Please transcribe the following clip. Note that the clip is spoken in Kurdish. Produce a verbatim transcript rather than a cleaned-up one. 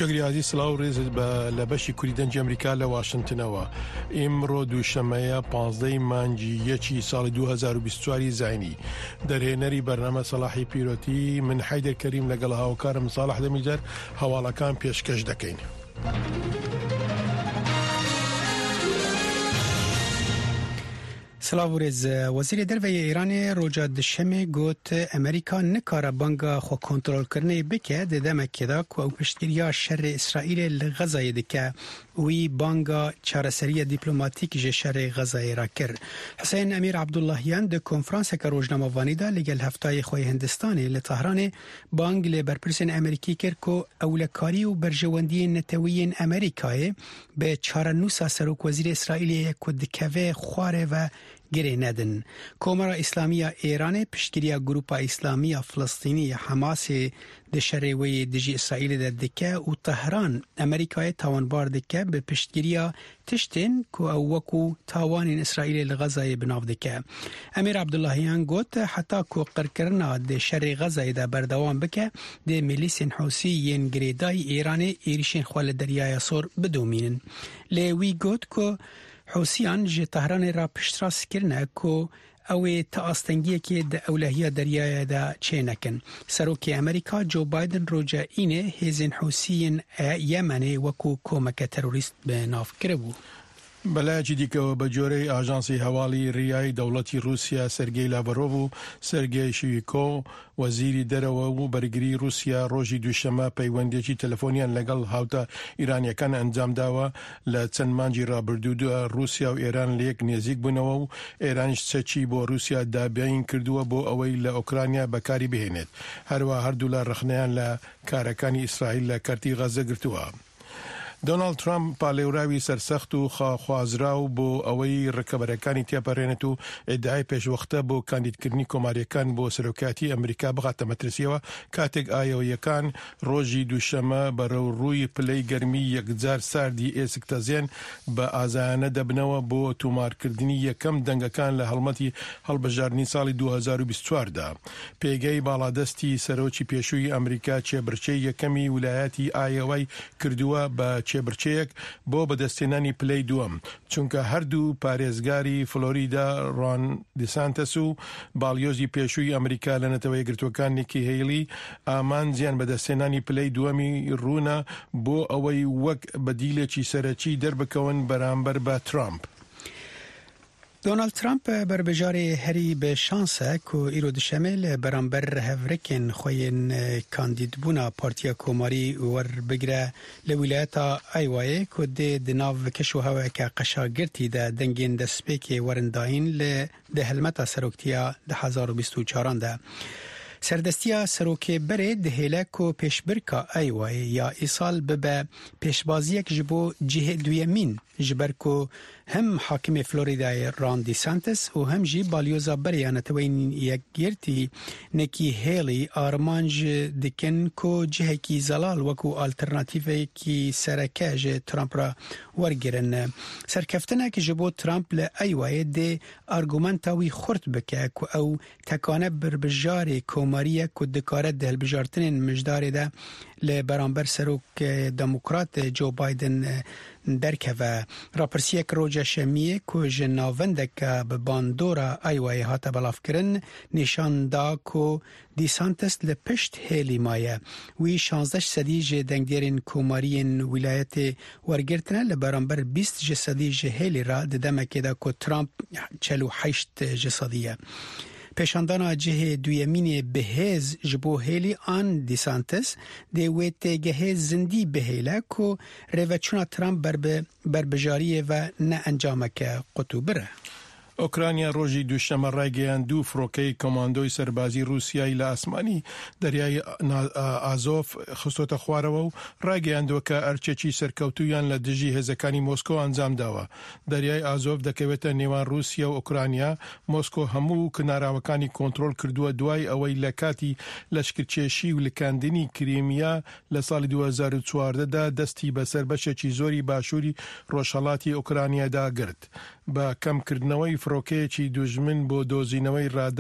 گریازی سلااو ڕێزت بە لە بەشی کوردی دەنگی ئەمریکا لە واشنگتنەوە. ئیمڕۆ دووشەمەیە، پانزدەی مانگی یەکی ساڵی دوو هەزار و بیست و چواری زاینی. دەرهێنەری بەرنامە سەلاحی پیرۆتی، من حەیدەر کەریم لەگەڵ هاوکارم ساڵح دەمیجەر هەواڵەکان پێشکەش دەکەین. Silav û rêz. Wezîrê Derve yê Îranê roja Dişemê got, Amerîka nikare banga xwe kontrolkirinê bike di demekê de ku ew piştgiriya şerê Îsraîlê li Xezayê dike. Wî banga çareseriya dîplomatîk ji şerê Xezayê re kir. Huseyên Emîr Abdullahiyan di konferanseke rojnamevanî de li gel heftayê xwe yê Hindistanê li Tehranê bang li berpirsên Amerîkî kir ku ewlekarî û berjewendiyên netewî yên Amerîkayê bi çarenûsa serokwezîrê Îsraîlê ye ku dikeve xwarê ve girê nedin. Komara Îslamî ya Êranê piştgiriya Grupa Îslamî ya Filistînî, Hamasê, di şerê wê yê dijî Îsraîlê de dike û Tehran Amerîkayê tawanbar dike bi piştgiriya tiştên ku ew wekû tawanên Îsraîlê li Xezayê bi nav dike. Emîr Abdullahiyan got, heta ku qirkirina di şerê Xezayê de berdewam bike, dê milîsên Hûsî yên girêdayî Îranê êrişên xwe li Deryaya Sor bidomînin. Lê wî got ku Hûsiyan ji Tehranê re piştrast kirine ku ew ê ti astengiyekê di ewlehiya deryayê de çênekin. Serokê Amerîka Joe Biden roja Înê hêzên Hûsiyên e Yemenê wekû komeke terorîst bi nav kiribû. بەلایەکی دیکەوە، بە جۆرەی ئاژانسی هەواڵی ریای دەوڵەتی رووسیا، سەرگێی لاڤرۆڤ و سەرگێی شویکۆ، وەزیری دەرەوە و بەرگری رووسیا، ڕۆژی دووشەمە پەیوەندیەکی تەلەفۆنیان لەگەڵ هاوتا ئیرانیەکان ئەنجام داوە. لە چەند مانگی ڕابردوودا رووسیا و ئێران لە یەک نێزیک بوونەوە و ئێرانیش چەکی بۆ رووسیا دابین کردووە بۆ ئەوەی لە ئۆکرانیا بەکاری بهێنێت. هەروە هەردوولا ڕخنەیان لە کارەکانی ئیسرائیل لە کەرتی غەزە گرتووە. دۆناڵد ترامپ، پالێوراوی سەرسەخت و خاخوازراو بۆ ئەوەی ڕکەبەرەکانی تێپەڕێنێت و ئیدعای پێشوەختە بۆ کاندیدکردنی کۆماریەکان بۆ سەرۆکایەتی ئەمریکا بخاتە مەترسیەوە، کاتێک ئایۆویەکان ڕۆژی دووشەمە بەرەو ڕووی پلەی گەرمی یەکجار ساردی ئێسک تەزێن بە ئازایانە دەبنەوە بۆ تومارکردنی یەکەم دەنگەکان لە هەڵمەتی هەڵبژاردنی ساڵی دوو هەزار و بیست و چوار دا. پێگەی باڵادەستی سەرۆکی پێشووی ئەمریکا، کێبرچێ یەکەمی ولایەتی ئایەوای کردووە بە کێبرچەیەک بۆ بەدەستهێنانی پلەی دووەم، چونکە هەردوو پارێزگاری فلۆریدا، ڕۆن دیسانتەس، و باڵیۆزی پێشووی ئەمریکا لە نەتەوە یەکگرتووەکان، نیکی هەیلی، ئامانجیان بەدەستهێنانی پلەی دووەمی ڕوونە بۆ ئەوەی وەک بەدیلێکی سەرەکی دەربکەون بەرامبەر بە ترامپ. Donald Trump berbijarê herî bi şans e ku îro dişemê li beramber hevrikên xwe yên kandîdbûna Partiya Komarî werbigire li wîlayeta Iowayê ku dê di nav keş û hewayeke qeşagirtî de dengên destpêkê werin dayîn li di helmeta seroktiya du hezar û bîst û çaran de. Serdestiya serokê berê dihêle ku pêşbirka Iowayê ya îsal bibe pêşbaziyek ji bo cihê duyemîn, ji ber ku hem hakimê Floridayê Ron DeSantis û hem jî balyoza berê ya Neteweyên Yekgirtî Nikki Haley armanc dikin ku cihekî zelal wekû alternatîvekî sereke ji Trump re wergirin. Serkeftinek ji bo Trump li Iowayê dê argumenta wî xurt bike ku ew tekane berbijarê komarî ye ku dikare di hilbijartinên mijdarê de li beramber serok, e, demokrat, e, Joe Biden, e, derkeve. Rapirsiyek roja şemiyê ku ji navendeke bi bandora Iowayê hate belavkirin, nîşan da ku DeSantis li pişt Haley maye. Wî şazdeh sedî ji dengdêrên komariyên wîlayetê wergirtine, li beramber bîst ji sedî ji Haley re, di demekê de ku Trump çel û heşt ji sedî ye. Pêşandana cihê duyemînê bi hêz ji bo Haley an DeSantis dê wê têgehê zindî bihêle ku rêveçûna Trump ber bi berbijariyê ve ne encameke qutûbir e. ئۆکرانیا ڕۆژی دووشەمە ڕایگەیاند دوو فڕۆکەی کۆماندۆی سەربازی رووسیای لە ئاسمانی دەریای نا-، ئا-، ئازۆف خستۆتە خوارەوە و ڕایگەیاندووە کە ئەرکێکی سەرکەوتوویان لە دژی هێزەکانی مۆسکۆ ئەنجام داوە. دەریای ئازۆف دەکەوێتە نێوان رووسیا و ئۆکرانیا. مۆسکۆ هەموو کناراوەکانی کۆنترۆل کردووە دوای ئەوەی لە کاتی لەشکرکێشی و لکاندنی کریمیا لە ساڵی دوو هەزار و چواردە دا دەستی بەسەر بەشێکی زۆری باشووری ڕۆژهەڵاتی ئۆکرانیادا گرت. بە کەمکردنەوەی فڕۆکەیەکی دوژمن بۆ دۆزینەوەی ڕادار